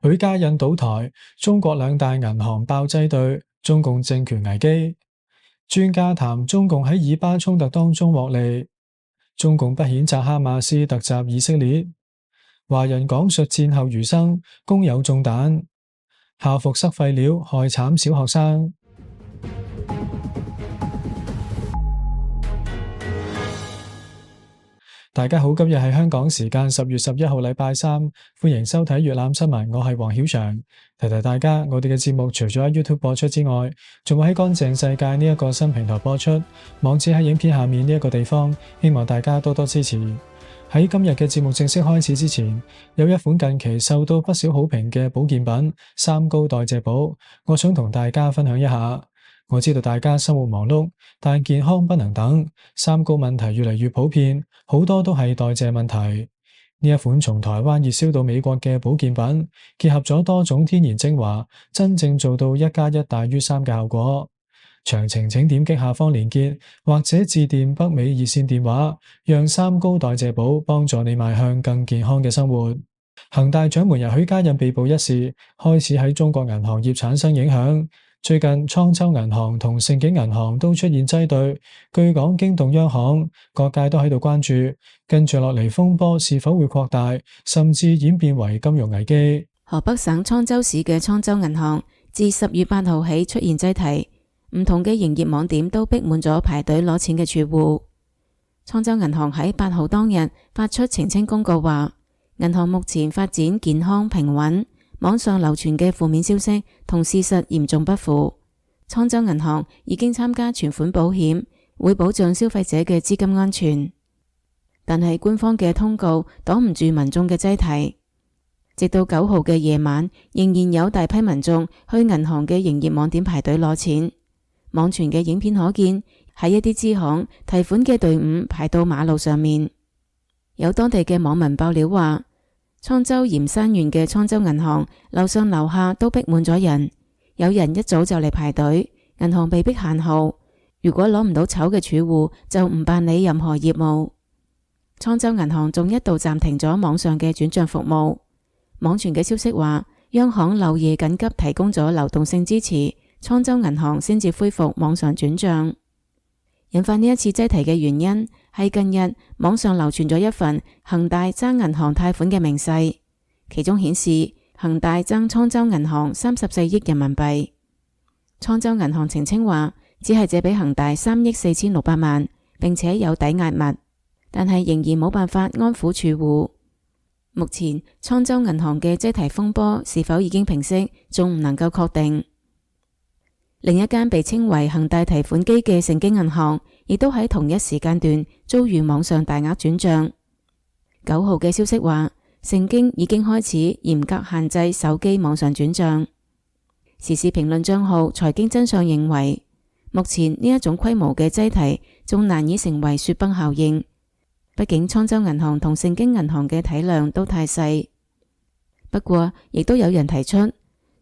許家印倒台，中國兩大銀行爆擠兌，中共政權危機。專家談中共喺以巴衝突當中獲利。中共不譴責哈馬斯突襲以色列。華人講述戰後餘生，工友中彈，校服塞廢料害慘小學生。大家好，今日係香港時間10月11號禮拜三，歡迎收睇粵覽新聞，我係黃曉翔。提提大家，我哋嘅節目除咗喺 YouTube 播出之外，仲會喺乾淨世界呢一個新平台播出，網址喺影片下面呢一個地方，希望大家多多支持。喺今日嘅節目正式開始之前，有一款近期受到不少好評嘅保健品三高代謝寶，我想同大家分享一下。我知道大家生活忙碌，但健康不能等，三高問題越嚟越普遍，好多都係代謝問題。呢一款從台灣熱銷到美國嘅保健品，結合咗多種天然精華，真正做到1+1大於3嘅效果。詳情請點擊下方連結，或者致電北美熱線電話，讓三高代謝寶幫助你邁向更健康嘅生活。恒大掌門人許家印被捕一事，開始喺中國銀行業產生影響。最近滄州銀行同盛京銀行都出現擠兌，據講驚動央行，各界都喺度關注，跟住落嚟風波是否會擴大，甚至演變為金融危機。河北省滄州市嘅滄州銀行自10月8號起出現擠提，唔同嘅營業網點都逼滿咗排隊攞錢嘅儲戶。滄州銀行喺8號當日發出澄清公告話，銀行目前發展健康平穩，網上流傳嘅負面消息同事實嚴重不符。滄州銀行已經參加存款保險，會保障消費者嘅資金安全。但係官方嘅通告擋唔住民眾嘅擠提，直到9號嘅夜晚，仍然有大批民眾去銀行嘅營業網點排隊攞錢。網傳嘅影片可見，喺一啲支行提款嘅隊伍排到馬路上面。有當地嘅網民爆料話，滄州鹽山縣嘅滄州銀行樓上樓下都逼滿咗人，有人一早就嚟排隊，銀行被逼限號，如果攞唔到籌嘅儲戶就唔辦理任何業務。滄州銀行仲一度暫停咗網上嘅轉賬服務。網傳嘅消息話，央行漏夜緊急提供咗流動性支持，滄州銀行先至恢復網上轉賬。引發呢一次擠提嘅原因係近日網上流傳咗一份恒大爭銀行貸款嘅明細，其中顯示恒大爭滄州銀行34億人民幣。滄州銀行澄清話，只係借俾恒大3億4600萬，並且有抵押物，但係仍然冇辦法安撫儲戶。目前滄州銀行嘅擠提風波是否已經平息，仲唔能夠確定。另一間被稱為恒大提款機嘅盛京銀行，亦都喺同一時間段遭遇網上大額轉賬。9號嘅消息話，盛京已經開始嚴格限制手機網上轉賬。時事評論賬號財經真相認為，目前呢一種規模嘅擠提仲難以成為雪崩效應，畢竟滄州銀行同盛京銀行嘅體量都太細。不過，亦都有人提出，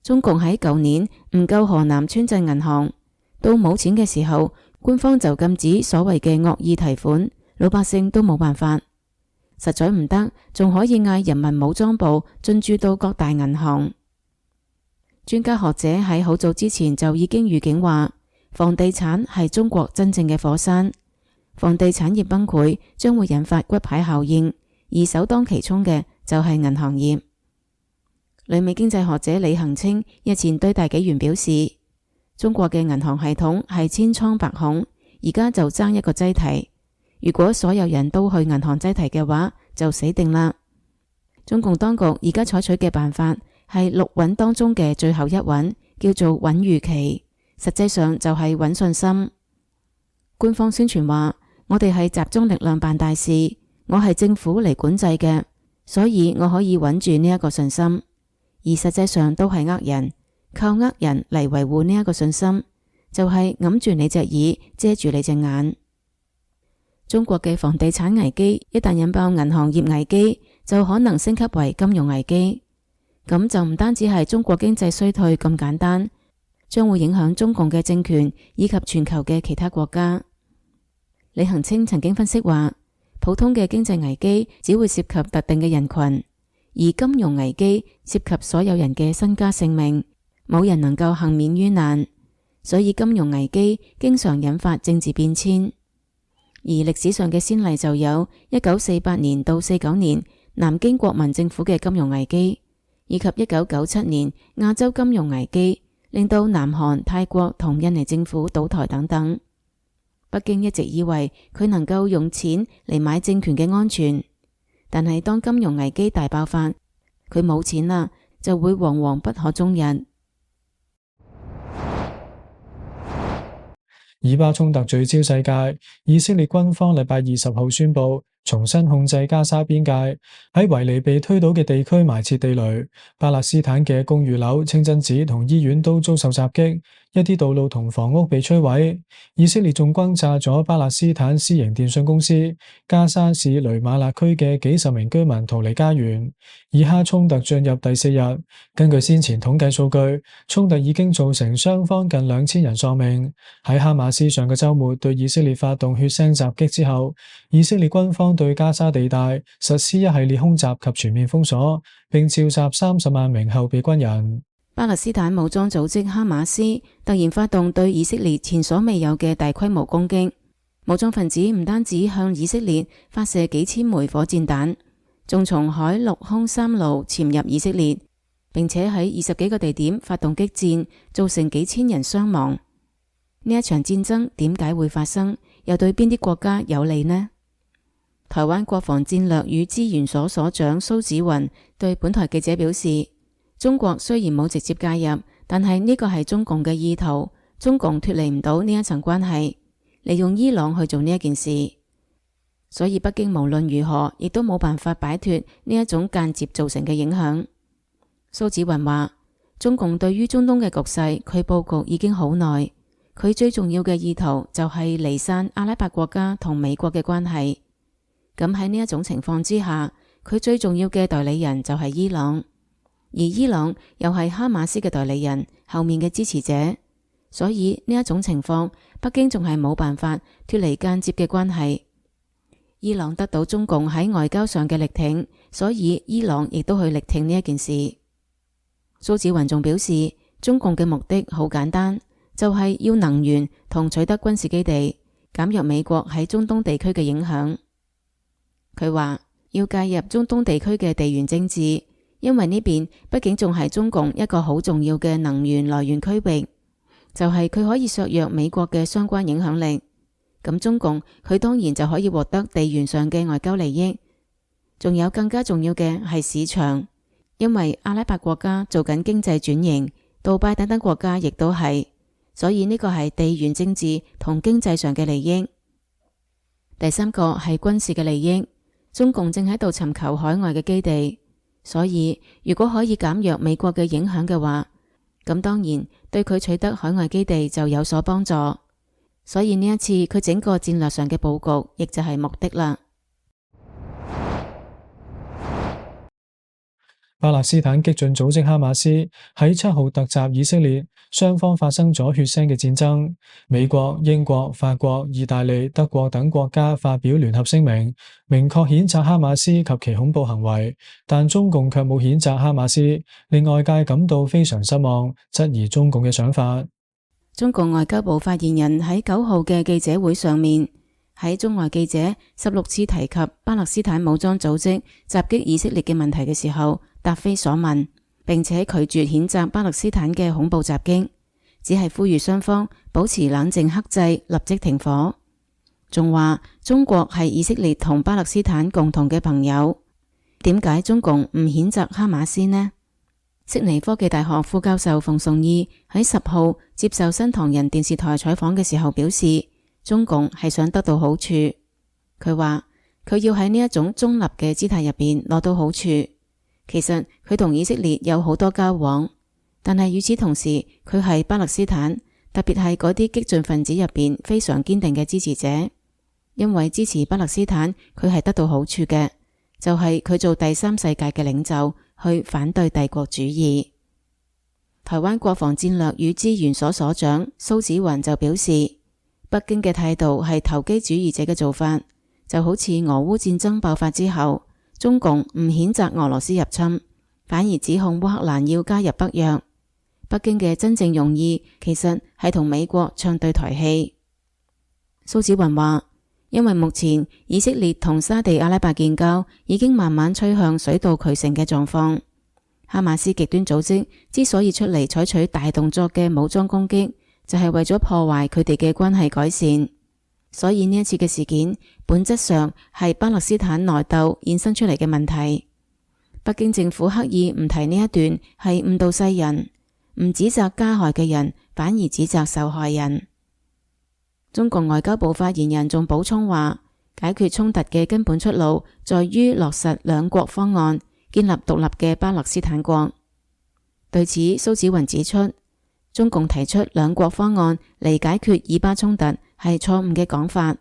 中共喺舊年唔救河南村鎮銀行，到冇錢嘅時候，官方就禁止所謂嘅惡意提款，老百姓都冇辦法，實在唔得，仲可以嗌人民武裝部進駐到各大銀行。專家學者喺好早之前就已經預警話，房地產係中國真正嘅火山，房地產業崩潰將會引發骨牌效應，而首當其衝嘅就係銀行業。旅美經濟學者李恒清日前對大紀元表示，中國嘅銀行系統係千瘡百孔，而家就爭一個擠提。如果所有人都去銀行擠提嘅話，就死定啦。中共當局而家採取嘅辦法係6穩當中嘅最後一穩，叫做穩預期，實際上就係穩信心。官方宣傳話，我哋係集中力量辦大事，我係政府嚟管制嘅，所以我可以穩住呢一個信心。而實際上都係呃人，靠呃人嚟維護呢一個信心，就係揞住你隻耳，遮住你隻眼。中國嘅房地產危機一旦引爆銀行業危機，就可能升級為金融危機。咁就唔單止係中國經濟衰退咁簡單，將會影響中共嘅政權以及全球嘅其他國家。李恒清曾經分析話，普通嘅經濟危機只會涉及特定嘅人群，而金融危機涉及所有人嘅身家性命，冇人能夠幸免於難，所以金融危機經常引發政治變遷。而歷史上嘅先例就有1948年到49年南京國民政府嘅金融危機，以及1997年亞洲金融危機，令到南韓、泰國同印尼政府倒台等等。北京一直以為佢能夠用錢嚟買政權嘅安全，但係當金融危機大爆發，佢冇錢啦，就會惶惶不可終日。以巴衝突聚焦世界，以色列軍方禮拜20號宣布重新控制加沙邊界，喺維尼被推倒嘅地區埋設地雷。巴勒斯坦嘅公寓樓、清真寺同醫院都遭受襲擊，一啲道路同房屋被摧毀。以色列仲轟炸咗巴勒斯坦私營電信公司。加沙市雷馬勒區嘅幾十名居民逃離家園。以哈衝突進入第4日，根據先前統計數據，衝突已經造成雙方近2000人喪命。喺哈馬斯上個週末對以色列發動血腥襲擊之後，以色列軍方對加沙地帶實施一系列空襲及全面封鎖，並召集30萬名後備軍人。巴勒斯坦武裝組織哈馬斯突然發動對以色列前所未有嘅大規模攻擊，武裝分子唔單止向以色列發射幾千枚火箭彈，仲從海陸空3路潛入以色列，並且喺20幾個地點發動激戰，造成幾千人傷亡。呢一場戰爭點解會發生？又對邊啲國家有利呢？台灣國防戰略與資源所所長蘇紫雲對本台記者表示，中國雖然冇直接介入，但係呢個係中共嘅意圖，中共脫離唔到呢一層關係，利用伊朗去做呢一件事，所以北京無論如何亦都冇辦法擺脫呢一種間接造成嘅影響。蘇紫雲話，中共對於中東嘅局勢，佢佈局已經好耐，佢最重要嘅意圖就係離散阿拉伯國家同美國嘅關係。咁喺呢一種情況之下，佢最重要嘅代理人就係伊朗，而伊朗又係哈馬斯嘅代理人，後面嘅支持者，所以呢一種情況，北京仲係冇辦法脫離間接嘅關係。伊朗得到中共喺外交上嘅力挺，所以伊朗亦都去力挺呢一件事。蘇紫雲仲表示，中共嘅目的好簡單，就係要能源同取得軍事基地，減弱美國喺中東地區嘅影響。佢話要介入中東地區嘅地緣政治，因為呢邊畢竟仲係中共一個好重要嘅能源來源區域，就係佢可以削弱美國嘅相關影響力。咁中共佢當然就可以獲得地緣上嘅外交利益，仲有更加重要嘅係市場，因為阿拉伯國家做緊經濟轉型，杜拜等等國家亦都係，所以呢個係地緣政治同經濟上嘅利益。第三個係軍事嘅利益，中共正喺度尋求海外嘅基地，所以如果可以減弱美國嘅影響嘅話，咁當然對佢取得海外基地就有所幫助。所以呢一次佢整個戰略上嘅佈局，亦就係目的啦。巴勒斯坦激進組織哈馬斯喺7號突襲以色列，雙方發生咗血腥嘅戰爭。美國、英國、法國、意大利、德國等國家發表聯合聲明，明確譴責哈馬斯及其恐怖行為，但中共卻冇譴責哈馬斯，令外界感到非常失望，質疑中共嘅想法。中共外交部發言人喺9號嘅記者會上面，喺中外記者16次提及巴勒斯坦武裝組織襲擊以色列嘅問題嘅時候，答非所問，並且拒絕譴責巴勒斯坦嘅恐怖襲擊，只係呼籲雙方保持冷靜克制，立即停火。仲話中國係以色列同巴勒斯坦共同嘅朋友，點解中共唔譴責哈馬斯呢？悉尼科技大學副教授馮崇義喺10號接受新唐人電視台採訪嘅時候表示，中共係想得到好處。佢話佢要喺呢一種中立嘅姿態入邊攞到好處。其實佢同以色列有好多交往，但係與此同時，佢係巴勒斯坦，特別係嗰啲激進分子入邊非常堅定嘅支持者。因為支持巴勒斯坦，佢係得到好處嘅，就係佢做第三世界嘅領袖，去反對帝國主義。台灣國防戰略與資源所所長蘇紫雲就表示，北京嘅態度係投機主義者嘅做法，就好似俄烏戰爭爆發之後，中共唔譴責俄羅斯入侵，反而指控烏克蘭要加入北約。北京嘅真正用意其實係同美國唱對台戲。蘇紫雲話，因為目前以色列同沙地阿拉伯建交已經慢慢趨向水到渠成嘅狀況，哈馬斯極端組織之所以出嚟採取大動作嘅武裝攻擊，就係為咗破壞佢哋嘅關係改善。所以呢一次嘅事件本質上係巴勒斯坦內鬥衍生出嚟嘅問題。北京政府刻意唔提呢一段係誤導世人，唔指責加害嘅人，反而指責受害人。中國外交部發言人仲補充話，解決衝突嘅根本出路在於落實兩國方案，建立獨立嘅巴勒斯坦國。對此，蘇紫雲指出，中共提出兩國方案嚟解決以巴衝突係錯誤嘅講法，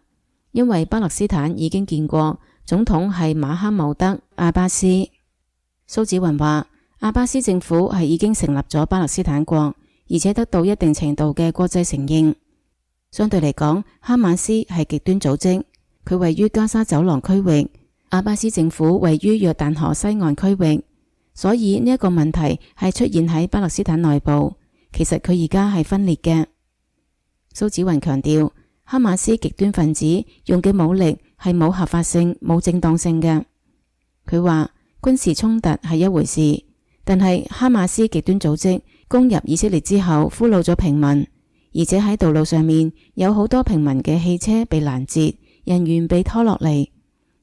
因為巴勒斯坦已經建國，總統係馬哈茂德阿巴斯。蘇紫雲話，阿巴斯政府係已經成立咗巴勒斯坦國，而且得到一定程度嘅國際承認。相對嚟講，哈馬斯係極端組織，佢位於加沙走廊區域，阿巴斯政府位於約旦河西岸區域，所以呢一個問題係出現喺巴勒斯坦內部，其實佢而家係分裂嘅。蘇紫雲強調，哈馬斯極端分子用嘅武力係冇合法性、冇正當性嘅。佢話軍事衝突係一回事，但係哈馬斯極端組織攻入以色列之後，俘虜咗平民，而且喺道路上面有好多平民嘅汽車被攔截，人員被拖落嚟，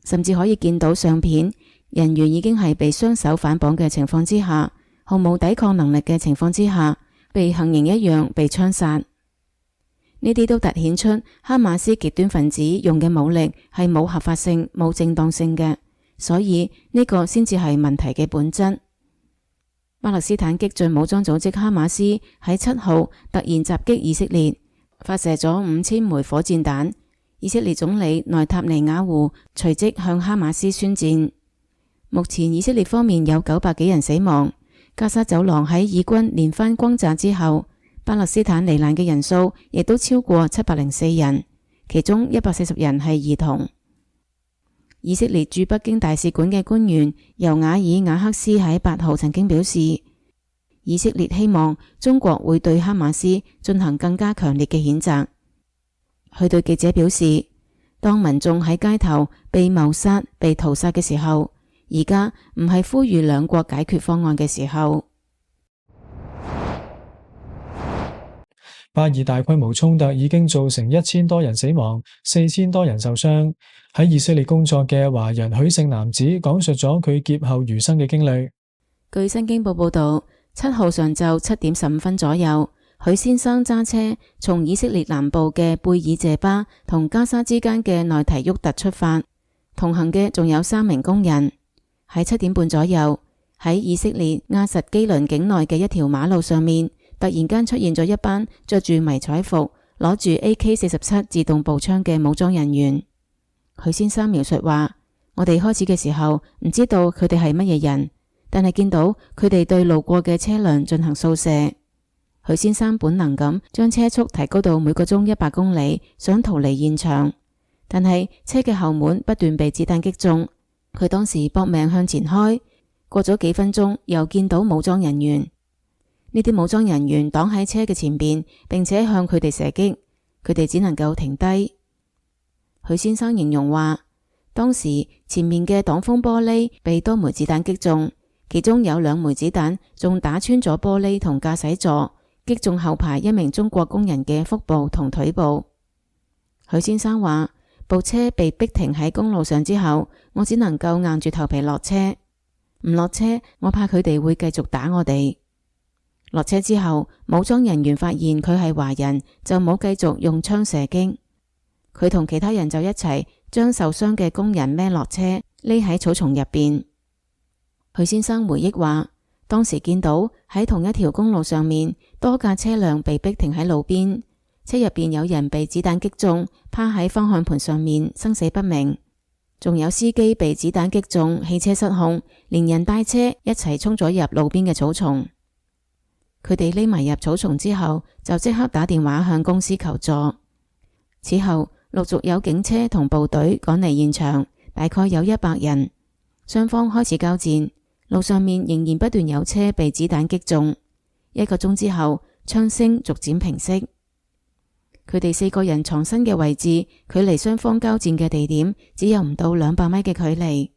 甚至可以見到相片，人員已經係被雙手反綁嘅情況之下，毫無抵抗能力嘅情況之下，被行刑一樣被槍殺。呢啲都凸顯出哈馬斯極端分子用嘅武力係冇合法性、冇正當性嘅，所以呢個先至係問題嘅本質。巴勒斯坦激進武裝組織哈馬斯喺7號突然襲擊以色列，發射咗5000枚火箭彈。以色列總理內塔尼亞胡隨即向哈馬斯宣戰。目前以色列方面有900幾人死亡，加沙走廊喺以軍連番轟炸之後，巴勒斯坦罹難嘅人數亦都超過704人，其中140人係兒童。以色列駐北京大使館嘅官員尤瓦爾瓦克斯喺8號曾經表示，以色列希望中國會對哈馬斯進行更加強烈嘅譴責。佢對記者表示，當民眾喺街頭被謀殺、被屠殺嘅時候，而家唔係呼籲兩國解決方案嘅時候。巴以大規模衝突已經造成1000多人死亡，4000多人受傷。喺以色列工作嘅華人許姓男子講述咗佢劫後餘生嘅經歷。據新京報報道，7號上晝7點15分左右，許先生揸車從以色列南部嘅貝爾謝巴同加沙之間嘅內提沃特出發，同行嘅仲有3名工人。喺7點半左右，喺以色列亞實基倫境內嘅一條馬路上面，突然間出現咗一班着住迷彩服、攞住 AK-47 自動步槍嘅武裝人員。許先生描述話，我哋開始嘅時候唔知道佢哋係乜嘢人，但係見到佢哋對路過嘅車輛進行掃射。許先生本能咁將車速提高到每個鐘100公里，想逃離現場，但係車嘅後門不斷被子彈擊中，佢當時搏命向前開。過咗幾分鐘，又見到武裝人員，呢啲武裝人員擋喺車嘅前邊，並且向佢哋射擊，佢哋只能夠停低。許先生形容話，當時前面嘅擋風玻璃被多枚子彈擊中，其中有2枚子彈仲打穿咗玻璃同駕駛座，擊中後排一名中國工人嘅腹部同腿部。許先生話，部車被逼停喺公路上之後，我只能夠硬住頭皮落車，唔落車我怕佢哋會繼續打我哋。落車之後，武裝人員發現佢係華人，就冇繼續用槍射擊。佢同其他人就一齊將受傷嘅工人孭落車，匿喺草叢入邊。許先生回憶話，當時見到喺同一條公路上面，多架車輛被逼停喺路邊，車入邊有人被子彈擊中，趴喺方向盤上面生死不明，仲有司機被子彈擊中，汽車失控，連人帶車一齊衝咗入路邊嘅草叢。佢哋匿埋入草叢之後，就即刻打電話向公司求助。此後陸續有警車同部隊趕嚟現場，大概有100人。雙方開始交戰，路上面仍然不斷有車被子彈擊中。1個鐘之後，槍聲逐漸平息。佢哋4個人藏身嘅位置，距離雙方交戰嘅地點只有唔到200米嘅距離。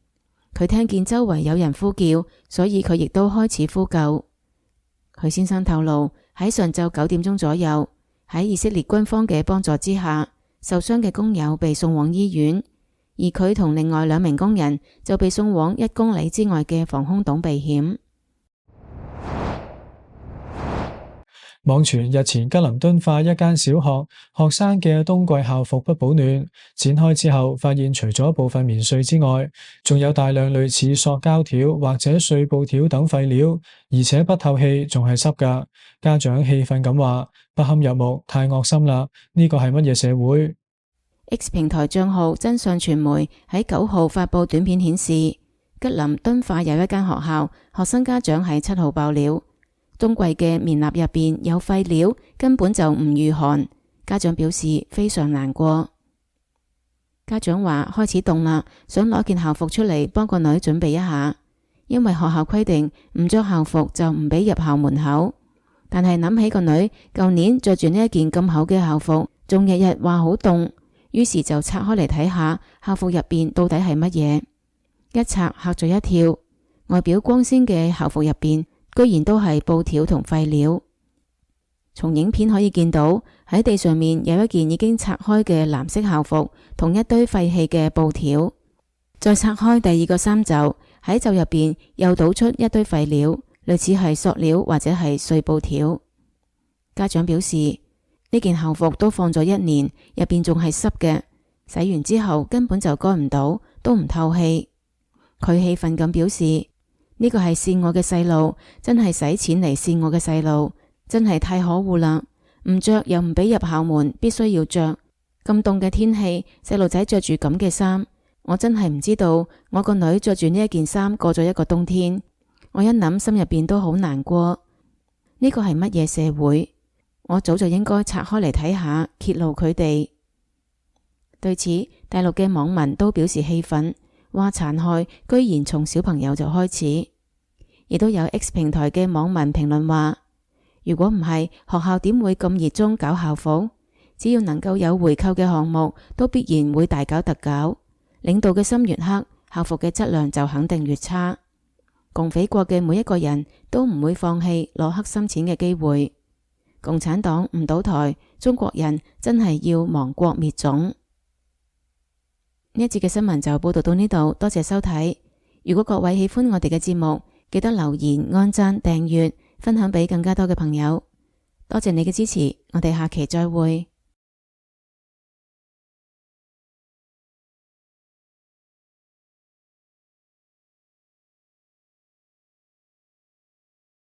佢聽見周圍有人呼叫，所以佢亦都開始呼救。許先生透露，喺上晝9點鐘左右，喺以色列軍方嘅幫助之下，受傷嘅工友被送往醫院，而佢同另外2名工人就被送往1公里之外嘅防空洞避險。網傳日前吉林敦化一間小學學生嘅冬季校服不保暖，展開之後發現除咗部分棉絮之外，仲有大量類似塑膠條或者碎布條等廢料，而且不透氣，仲係濕㗎。家長氣憤咁話：不堪入目，太惡心啦！呢個係乜嘢社會？ X 平台賬號真相傳媒喺9號發佈短片顯示，吉林敦化有一間學校，學生家長喺7號爆料，冬季嘅棉衲入邊有廢料，根本就唔御寒。家長表示非常難過。家長話開始凍啦，想攞件校服出嚟幫個女準備一下，因為學校規定唔着校服就唔俾入校門口。但係諗起個女舊年着住呢一件咁厚嘅校服，仲日日話好凍，於是就拆開嚟睇下校服入邊到底係乜嘢。一拆嚇咗一跳，外表光鮮嘅校服入邊居然都係布條同廢料。從影片可以見到，喺地上面有一件已經拆開嘅藍色校服，同一堆廢棄嘅布條。再拆開第2個衫袖，喺袖入邊又倒出一堆廢料，類似係塑料或者係碎布條。家長表示，呢件校服都放咗1年，入邊仲係濕嘅，洗完之後根本就乾唔到，都唔透氣。佢氣憤咁表示，呢個係騙我嘅細路，真係使錢嚟騙我嘅細路，真係太可惡啦！唔着又唔俾入校門，必須要着。咁凍嘅天氣，細路仔着住咁嘅衫，我真係唔知道我個女着住呢一件衫過咗1個冬天。我一諗心入邊都好難過。呢個係乜嘢社會？我早就應該拆開嚟睇下，揭露佢哋。對此，大陸嘅網民都表示氣憤，話殘害居然從小朋友就開始。亦都有 X 平台嘅網民評論話，如果唔係，學校點會咁熱衷搞校服？只要能夠有回扣嘅項目，都必然會大搞特搞。領導嘅心越黑，校服嘅質量就肯定越差。共匪國嘅每一個人都唔會放棄攞黑心錢嘅機會。共產黨唔倒台，中國人真係要亡國滅種。呢一節嘅新聞就報道到呢度，多謝收睇。如果各位喜歡我哋嘅節目，記得留言、按讚、訂閱、分享俾更加多嘅朋友。多謝你嘅支持，我哋下期再會。